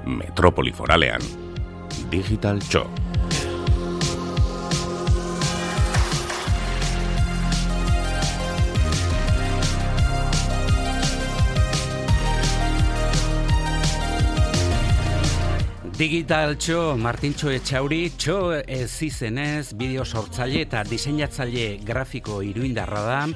Metropoli Foralean, Digital Txo. Digital Txo, Martintxo Etxauri, Txo ez izenez, bideo sortzaile eta diseinatzaile grafiko iruindarra da.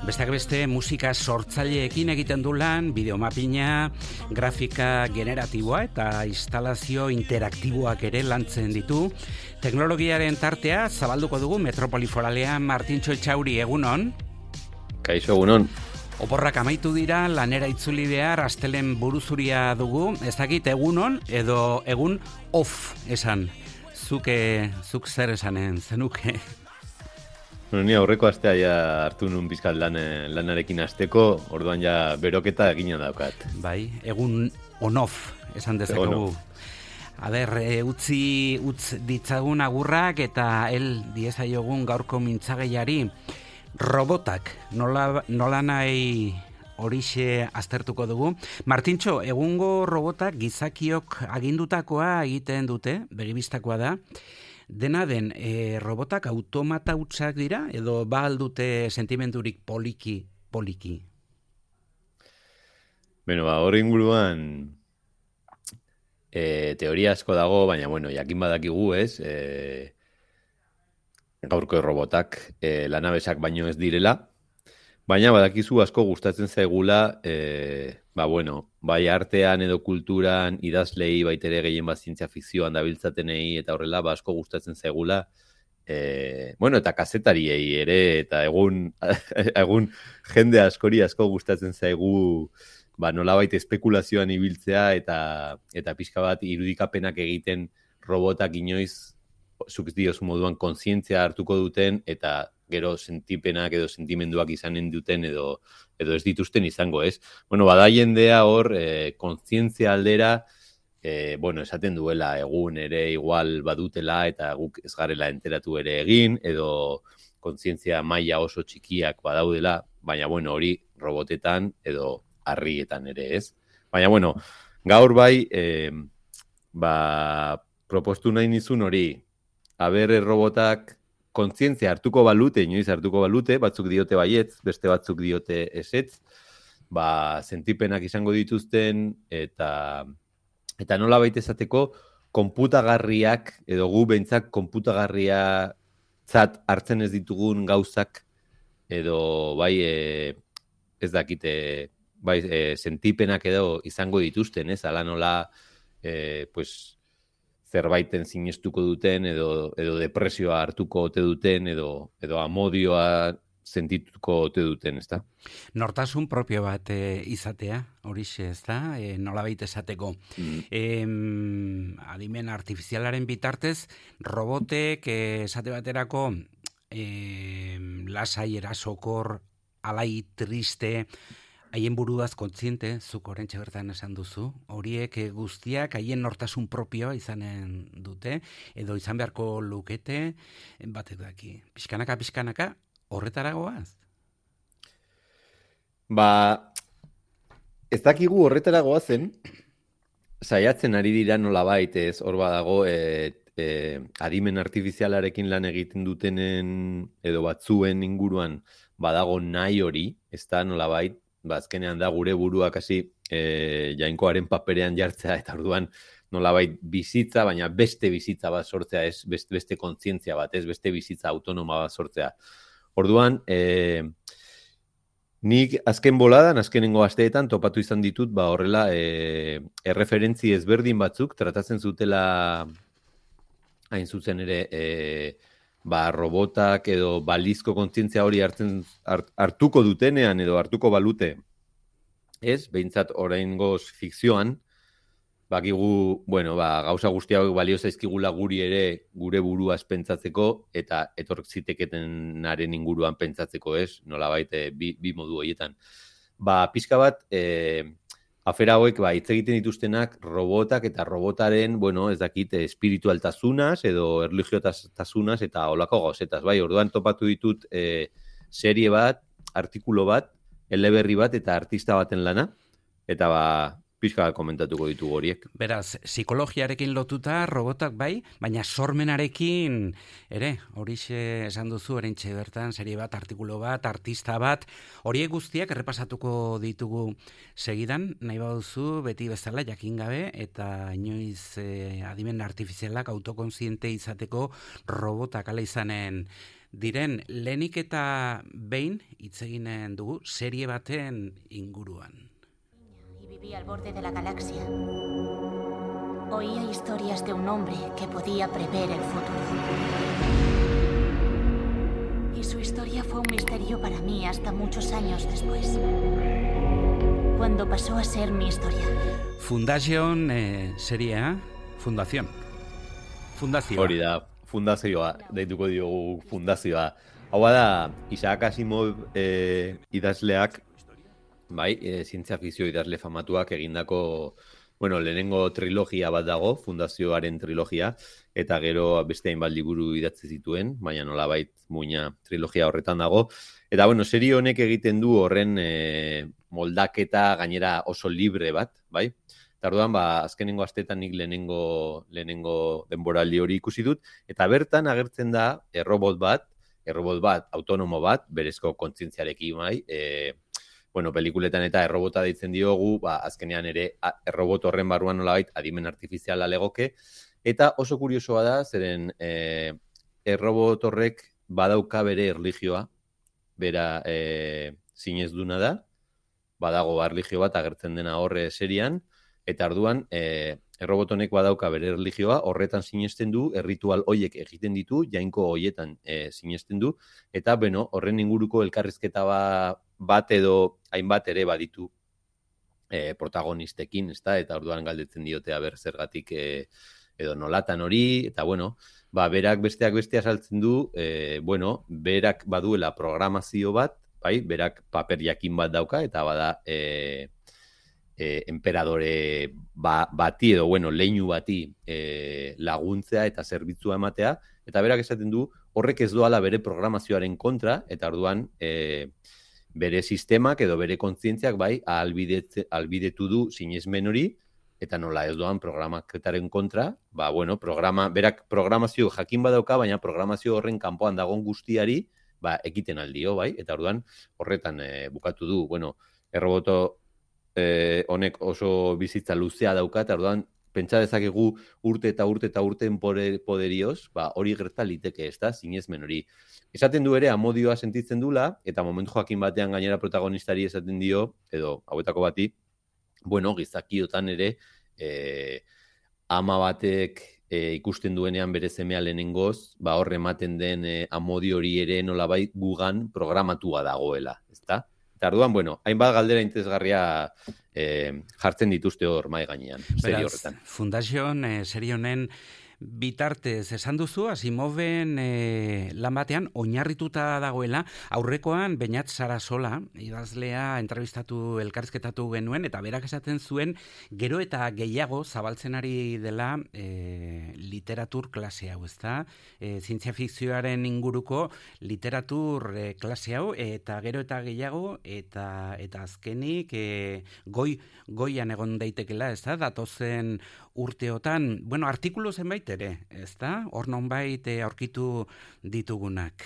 Besteak beste, musika sortzaileekin egiten du lan, bideomapina, grafika generatiboa eta instalazio interaktiboak ere lantzen ditu. Teknologiaren tartea zabalduko dugu Metropoli Foralean. Martintxo Etxauri, egunon? Kaixo, egunon. Oporrak amaitu dira, lanera itzuli behar, astelen buruzuria dugu, ez dakit egunon edo egun off esan. Zuk zer esanen zenuke? Bueno, ni aurreko astea ja hartu nun bizkat lanarekin hasteko, orduan ja beroketa egina daukat. Bai, egun on-off esan dezakegu. A ber, utz ditzagun agurrak eta diezaiogun gaurko mintzagaiari. Robotak, nola nahi horixe aztertuko dugu. Martintxo, egungo robotak gizakiok agindutakoa egiten dute, begibistakoa da. Dena den, robotak automata hutsak dira, edo ba aldute sentimendurik poliki? Beno, hori inguruan teoria asko dago, baina, jakin badakigu, ez? Gaurko robotak lanabesak baino ez direla, baina badakizu asko gustatzen zaigula, bai artean edo kulturan idazlei baitere gehien bat zientzia fikzioan dabiltzatenei eta horrela asko gustatzen zaigula, eta kazetariei ere, eta egun jende askori asko gustatzen zaigu nolabait espekulazioan ibiltzea eta pixka bat irudikapenak egiten robotak inoiz zuk diozu moduan kontzientzia hartuko duten eta gero sentipenak edo sentimenduak izanen duten edo ez dituzten izango, ez? Bada jendea hor kontzientzia aldera, esaten duela egun ere igual badutela eta guk ez garela enteratu ere egin edo kontzientzia maila oso txikiak badaudela, baina hori robotetan edo harrietan ere, ez? Baina gaur bai propostu nahi nizun hori, robotak kontzientzia hartuko balute, inoiz hartuko balute, batzuk diote baietz, beste batzuk diote ezetz, sentipenak izango dituzten, eta nola baita esateko, konputagarriak, edo gu behintzak konputagarriatzat hartzen ez ditugun gauzak, edo ez dakite, sentipenak edo izango dituzten, ez? Ala nola, zerbaiten sinestuko duten, edo depresioa hartuko ote duten, edo amodioa sentituko ote duten, ezta? Nortasun propio bat izatea, horixe, ezta? Nolabait esateko. Adimen artifizialaren bitartez, robotek esate baterako lasai erasokor, alai triste, haien buruaz kontziente, zuk orentxe bertan esan duzu, horiek guztiak haien nortasun propioa izanen dute, edo izan beharko lukete, batek daki, pixkanaka, horretara goaz? Ez dakigu horretara goazen, saiatzen ari dira nolabait, ez hor badago, adimen artifizialarekin lan egiten dutenen, edo batzuen inguruan, badago nahi hori, ez da nolabait, azkenean da gure buruak hasi jainkoaren paperean jartzea eta orduan nolabait bizitza, baina beste bizitza bat sortzea, ez beste kontzientzia bat, ez beste bizitza autonoma bat sortzea. Orduan, nik azken boladan, azkenengo asteetan topatu izan ditut, horrela erreferentzi ezberdin batzuk tratatzen zutela hain zuzen ere robotak edo balizko kontzientzia hori hartuko dutenean edo hartuko balute, ez? Behintzat oraingoz fikzioan, bakigu, gauza guzti hauek balio zaizkigula guri ere gure buruaz pentsatzeko eta etork ziteketenaren inguruan pentsatzeko, ez? Nolabait bi modu horietan. Pixka bat, afera hauek hitz egiten dituztenak robotak eta robotaren, ez dakit, espiritualtasunaz edo erlijiotasunaz eta olako gauzetaz. Orduan topatu ditut serie bat, artikulu bat, eleberri bat eta artista baten lana, eta pixka komentatuko ditugu horiek. Beraz, psikologiarekin lotuta robotak bai, baina sormenarekin ere, horixe esan duzu erentxe bertan, serie bat, artikulu bat, artista bat, horiek guztiak errepasatuko ditugu segidan, nahi baduzu beti bezala jakin gabe, eta inoiz adimen artifizialak autokonsiente izateko robotak ala izanen diren, lehenik eta behin hitz eginen dugu serie baten inguruan. Y vivía al borde de la galaxia. Oía historias de un hombre que podía prever el futuro. Y su historia fue un misterio para mí hasta muchos años después, cuando pasó a ser mi historia. Fundación seria, Fundación. Fundazioa. Hori da, fundazioa, deituko diogu fundazioa. Hau da, Isaac Asimov idazleak, bai, zientzia fikzio idazle famatuak egindako, bueno, lehenengo trilogia bat dago, fundazioaren trilogia, eta gero beste hainbat liburu idatzi zituen, baina nolabait muina trilogia horretan dago. Eta, bueno, serie honek egiten du horren moldaketa gainera oso libre bat, bai? Eta orduan, azkenengo astetan nik lehenengo denboraldi hori ikusi dut, eta bertan agertzen da errobot bat, autonomo bat, berezko kontzientziarekin, bai, bueno, pelikuletan eta errobota deitzen diogu, azkenean ere errobot horren barruan nolabait adimen artifiziala legoke, eta oso kuriosoa da, zeren errobot horrek badauka bere erlijioa, bera sinezduna da, badago erlijio bat agertzen dena horre serian, eta orduan errobot honek badauka bere erlijioa, horretan sinesten du, erritual hoiek egiten ditu, jainko hoietan sinesten du, eta beno, horren inguruko elkarrizketa bat edo hainbat ere baditu protagonistekin, ezta? Eta orduan galdetzen diote aber zergatik edo nolatan hori, eta bueno, berak besteak beste azaltzen du, bueno, berak baduela programazio bat, bai, berak paper jakin bat dauka, eta bada emperadore bati edo, bueno, leinu bati laguntzea eta zerbitzua ematea, eta berak esaten du, horrek ez doala bere programazioaren kontra, eta orduan bere sistemak edo bere kontzientziak bai ahalbidetu du sinesmen hori, eta nola ez doan programaketaren kontra, bueno, berak programazio jakin badauka, baina programazio horren kanpoan dagoen guztiari, ekiten aldio, bai, eta orduan horretan bukatu du, bueno, erroboto honek oso bizitza luzea dauka, eta orduan pentsa dezakegu urte eta urteen poderioz, hori gerta liteke, ez da, sinesmen hori. Esaten du ere, amodioa sentitzen dula, eta momentu jakin batean gainera protagonistari esaten dio, edo hauetako bati, bueno, gizakiotan ere, ama batek ikusten duenean bere semea lehenengoz, hor ematen den amodio hori ere nolabait gugan programatua dagoela, ez da? Eta orduan, bueno, hainbat galdera interesgarria jartzen dituzte hor mai gainean, serie horretan. Fundación serie honen bitartez esan duzu, Asimoven lan batean oinarrituta dagoela, aurrekoan Beñat Sarasola, idazlea entrevistatu elkarrizketatu genuen, eta berak esaten zuen, gero eta gehiago zabaltzen ari dela literatur klase hau, ezta? Zientzia fikzioaren inguruko literatur klase hau, eta gero eta gehiago, eta azkenik goian egon daitekela, ezta? Datozen urteotan, bueno, artikulu zenbait ere, ezta? Hor nonbait aurkitu ditugunak.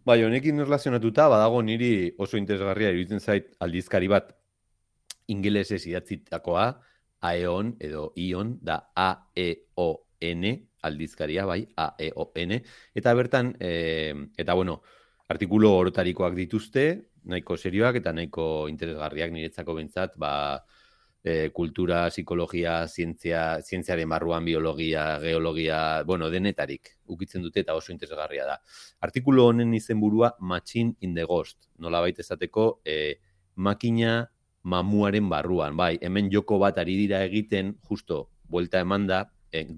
Bai, honekin erlazionatuta, badago niri oso interesgarria iruditzen zait aldizkari bat ingelesez idatzitakoa, Aeon edo Ion, da A-E-O-N, aldizkaria, bai, A-E-O-N, eta bertan, eta bueno, artikulu orotarikoak dituzte, nahiko serioak eta nahiko interesgarriak niretzako bentsat, kultura, psikologia, zientziaren barruan, biologia, geologia, bueno, denetarik ukitzen dute eta oso interesgarria da. Artikulu honen izenburua Machine in the Ghost, nolabait esateko makina mamuaren barruan, bai, hemen joko bat ari dira egiten, justo, buelta eman da,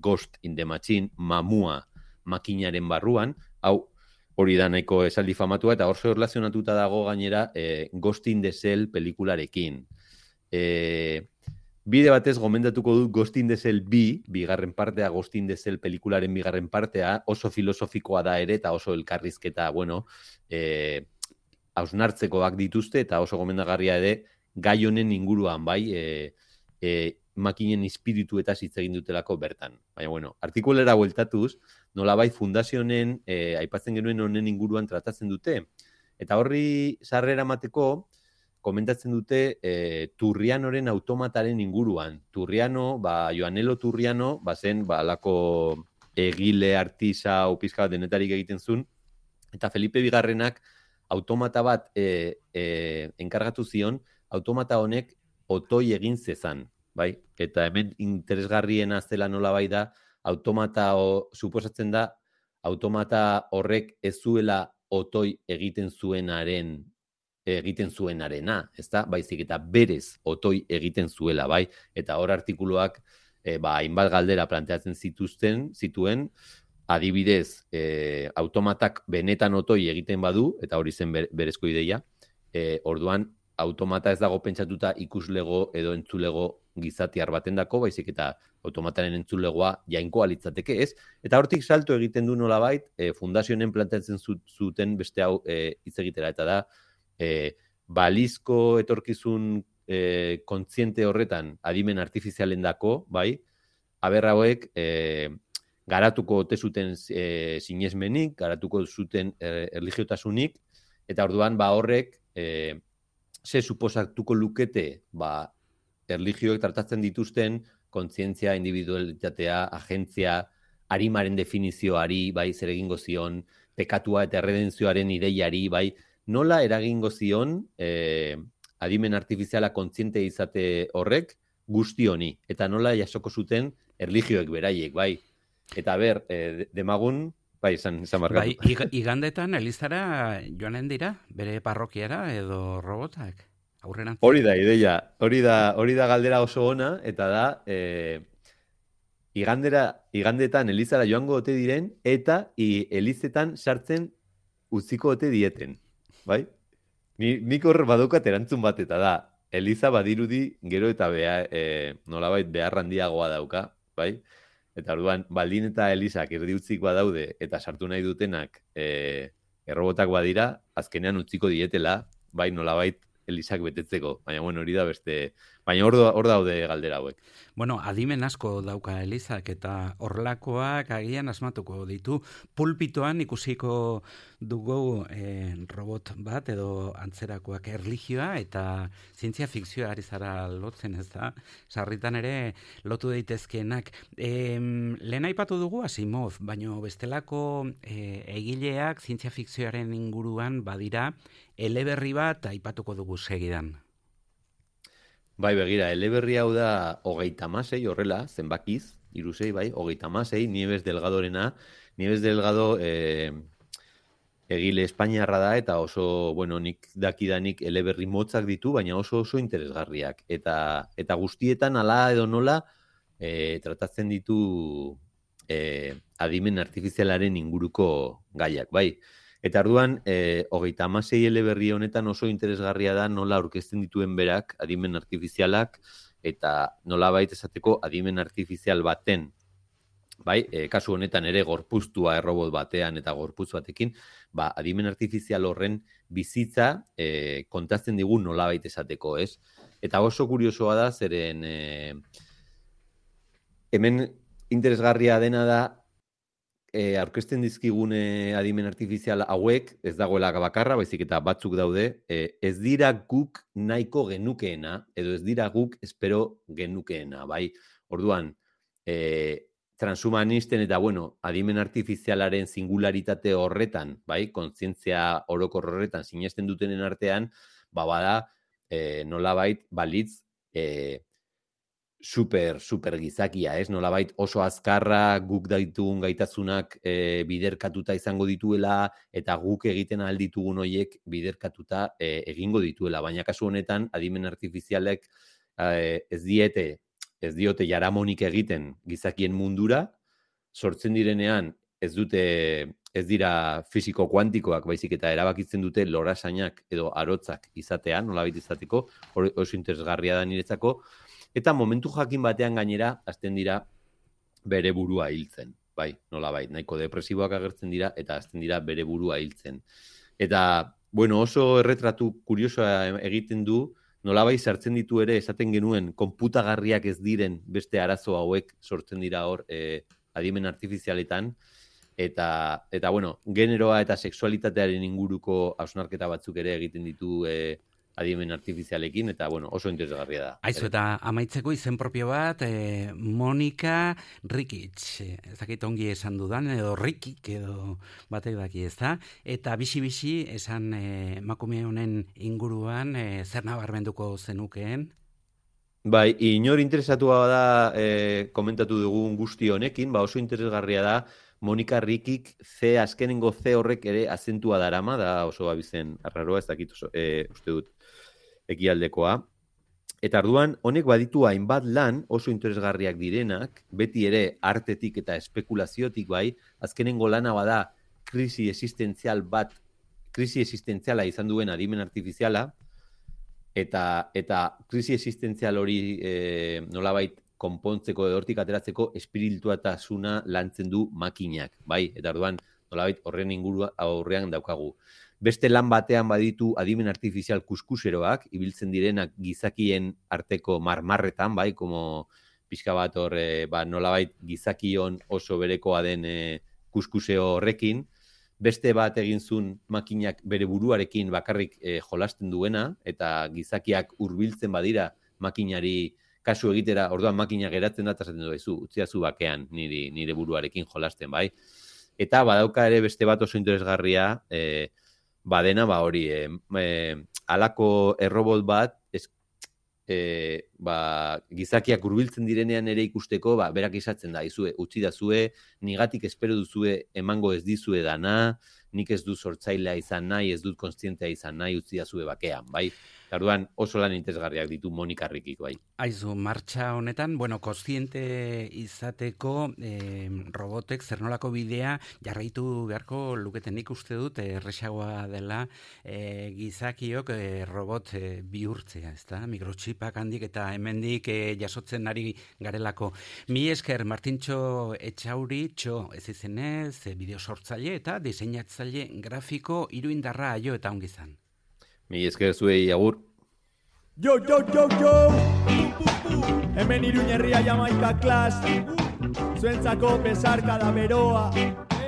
Ghost in the Machine, mamua makinaren barruan, hau, hori da nahiko esaldi famatua, eta oso erlazionatuta dago gainera Ghost in the Shell pelikularekin. Bide batez gomendatuko dut Ghost in the Shell bigarren partea, Ghost in the Shell pelikularen bigarren partea, oso filosofikoa da ere, eta oso elkarrizketa, bueno, hausnartzekoak dituzte, eta oso gomendagarria ere gai honen inguruan, bai, makinen espirituetaz hitz egin dutelako bertan. Baina, bueno, artikulera bueltatuz, nolabait fundazio honen, aipatzen genuen honen inguruan tratatzen dute. Eta horri sarrera emateko, komentatzen dute Turrianoren automataren inguruan. Turriano, Joanelo Turriano, zen, alako egile, artisa, pizka bat denetarik egiten zuen, eta Felipe Bigarrenak automata bat enkargatu zion, automata honek otoi egin zezan, bai? Eta hemen interesgarriena zela nolabait da, automata, suposatzen da, automata horrek ez zuela otoi egiten zuenarena, ezta? Baizik eta berez otoi egiten zuela, bai? Eta hor artikuluak hainbat galdera planteatzen zituen, adibidez, automatak benetan otoi egiten badu, eta hori zen berezko ideia, orduan automata ez dago pentsatuta ikuslego edo entzulego gizatiar batendako, baizik eta automataren entzulegoa jainkoa litzateke, ez? Eta hortik salto egiten du nolabait, fundazioen planteatzen zuten beste hau hitz egitera, eta da, balizko etorkizun kontziente horretan adimen artifizialendako, bai, aber hauek garatuko ote zuten sinesmenik, garatuko zuten erligiotasunik, eta orduan horrek ze suposatuko lukete erligioek tratatzen dituzten kontzientzia, individualitatea, agentzia, arimaren definizioari, bai, zer egingo zion, pekatua eta erredentzioaren ideiari, bai, nola eragingo zion adimen artifiziala kontziente izate horrek guzti honi, eta nola jasoko zuten erligioek beraiek, bai. Eta demagun, bai, izan markatu. Bai, igandetan Elizara joanen dira, bere parrokiara edo robotak? Hori da ideia, hori da galdera oso ona, eta da, igandetan Elizara joango ote diren, eta Elizetan sartzen utziko ote dieten, bai? Nik hor badaukat erantzun bat, eta da, Eliza badirudi gero eta nolabait behar handiagoa dauka, bai? Eta orduan, baldin eta Elizak erdiutzik badaude, eta sartu nahi dutenak errobotak badira, azkenean utziko dietela, bai, nolabait Elizak betetzeko, baina bueno, hori da beste, baina hor daude galdera hauek. Bueno, adimen asko dauka Elizak eta horlakoak agian asmatuko ditu. Pulpitoan ikusiko dugu robot bat edo antzerakoak erlijioa eta zientzia fikzioa ari zara lotzen, ez da? Sarritan ere lotu daitezkeenak. Lehen aipatu dugu Asimov, baina bestelako egileak zientzia fikzioaren inguruan badira, eleberri bat aipatuko dugu segidan. Bai, begira, eleberri hau da 36, horrela, zenbakiz, 36, bai, 36, Nieves Delgadorena. Nieves Delgado egile espainiarra da, eta oso, bueno, nik dakidanik eleberri motzak ditu, baina oso interesgarriak. Eta guztietan, ala edo nola, tratatzen ditu adimen artifizialaren inguruko gaiak, bai. Eta orduan, 36 eleberri honetan oso interesgarria da nola aurkezten dituen berak adimen artifizialak eta nola baita esateko adimen artifizial baten, bai, kasu honetan ere gorpuztua errobot batean eta gorputz batekin, adimen artifizial horren bizitza kontatzen digu nola baita esateko, ez? Eta oso kuriosoa da, zeren hemen interesgarria dena da, aurkezten dizkigune adimen artifizial hauek, ez dagoela bakarra, baizik eta batzuk daude, ez dira guk nahiko genukeena, edo ez dira guk espero genukeena, bai? Orduan, transhumanisten eta, bueno, adimen artifizialaren singularitate horretan, bai? Kontzientzia orokor horretan sinesten dutenen artean, bada, nolabait, balitz, super gizakia, ez? Nolabait oso azkarra guk ditugun gaitasunak biderkatuta izango dituela eta guk egiten ahal ditugun horiek biderkatuta egingo dituela. Baina kasu honetan, adimen artifizialek ez diote jaramonik egiten gizakien mundura, sortzen direnean ez dira fisiko kuantikoak, baizik eta erabakitzen dute lorasainak edo arotzak izatean, nolabait izateko, oso interesgarria da niretzako, eta momentu jakin batean gainera, hasten dira bere burua hiltzen, bai, nolabait, nahiko depresiboak agertzen dira, eta hasten dira bere burua hiltzen. Eta, bueno, oso erretratu kuriosoa egiten du, nolabait sartzen ditu ere, esaten genuen, konputagarriak ez diren beste arazo hauek sortzen dira hor adimen artifizialetan, eta bueno, generoa eta sexualitatearen inguruko hausnarketa batzuk ere egiten ditu adimen artifizialekin, eta bueno, oso interesgarria da. Aizu, eta amaitzeko izen propio bat, Monika Rikic, ez dakit ongi esan dudan, edo Rikik, edo batek daki, ez da? Eta bisi-bisi esan emakume honen inguruan, zer nabarmenduko zenukeen? Bai, inor interesatua da komentatu dugun guzti honekin, oso interesgarria da, Monika Rikik azkenengo C horrek ere azentua darama, da oso abizen arraroa, ez dakit oso, uste dut ekialdekoa. Eta arduan, honek baditu hainbat lan oso interesgarriak direnak, beti ere artetik eta espekulaziotik bai, azkenengo lana bada krisi existentziala izan duen adimen artifiziala, eta krisi existentzial hori nolabait konpontzeko edo hortik ateratzeko espirituatasuna lantzen du makinak, bai? Eta orduan, nolabait horren ingurua aurrean daukagu. Beste lan batean baditu adimen artifizial kuskuseroak, ibiltzen direnak gizakien arteko marmarretan, bai? Como pixka bat hor, nolabait gizakion oso berekoa den kuskuseo horrekin. Beste bat egin zuen makinak bere buruarekin bakarrik jolasten duena, eta gizakiak hurbiltzen badira makinari kasu egitera, orduan makina geratzen da, eta zaten duzu, utziazu bakean nire buruarekin jolasten, bai. Eta badauka ere beste bat oso interesgarria, badena, hori, halako errobot bat, gizakiak hurbiltzen direnean ere ikusteko, berak izatzen da, utzi dazue, nigatik espero duzue emango ez dizue dana, nik ez dut sortzailea izan nahi, ez dut konstientea izan nahi, utzi dazue bakean, bai. Orduan oso lan interesgarriak ditu Monika Rikik, bai. Aizu, martxa honetan, kontziente izateko robotek zernolako bidea jarraitu beharko luketenik uste dut, erresagoa dela gizakiok robot bihurtzea, ezta? Mikrotxipak handik eta hemendik jasotzen ari garelako. Mi esker, Martintxo Etxauri, ez izenez, bideo sortzaile eta diseinatzaile grafiko iruindarra aio eta ongizan. Mi esker zuei, agur. Yo! Hemen Iruñerria Jamaika klas. Zuentzako besarka da beroa.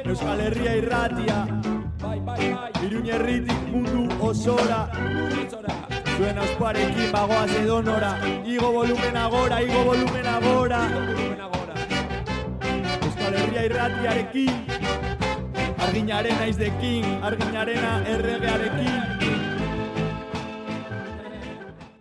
Euskal Herria irratia. Iruñerritik mundu osora. Zuen auspuarekin bagoaz edonora. Igo volumena gora. Euskal Herria irratiarekin. Arginarena izdekin, arginarena erregearekin.